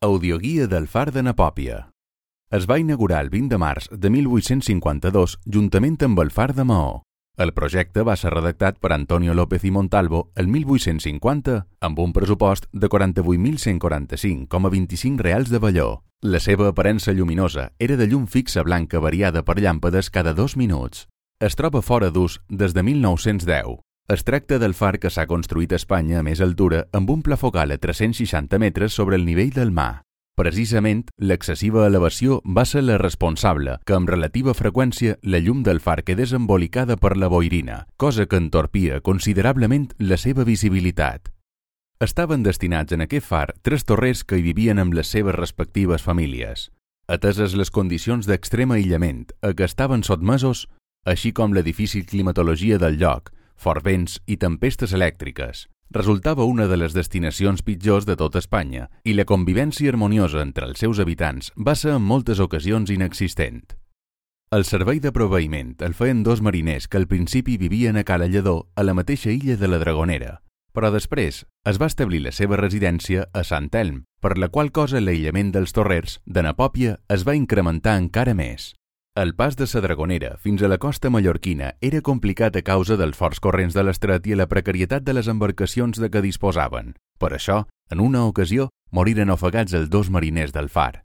Audioguia del Far de Napòpia. Es va inaugurar el 20 de març de 1852 juntament amb el Far de Maó. El projecte va ser redactat per Antonio López i Montalvo el 1850 amb un pressupost de 48.145,25 reals de velló. La seva aparença lluminosa era de llum fixa blanca variada per llàmpades cada 2 minuts. Es troba fora d'ús des de 1910. Es tracta del far que s'ha construït a Espanya a més altura amb un pla focal a 360 metres sobre el nivell del mar. Precisament, l'excessiva elevació va ser la responsable que amb relativa freqüència la llum del far quedés embolicada per la boirina, cosa que entorpia considerablement la seva visibilitat. Estaven destinats en aquest far 3 torrers que hi vivien amb les seves respectives famílies. Ateses les condicions d'extrem aïllament a què estaven sotmesos, així com la difícil climatologia del lloc, forts vents i tempestes elèctriques, resultava una de les destinacions pitjors de tota Espanya i la convivència harmoniosa entre els seus habitants va ser en moltes ocasions inexistent. El servei de proveïment el feien 2 mariners que al principi vivien a Cala Lledó, a la mateixa illa de la Dragonera, però després es va establir la seva residència a Sant Elm, per la qual cosa l'aïllament dels torrers de Napòpia es va incrementar encara més. El pas de la Dragonera fins a la costa mallorquina era complicat a causa dels forts corrents de l'estret i la precarietat de les embarcacions de què disposaven. Per això, en una ocasió, moriren ofegats els 2 mariners del far.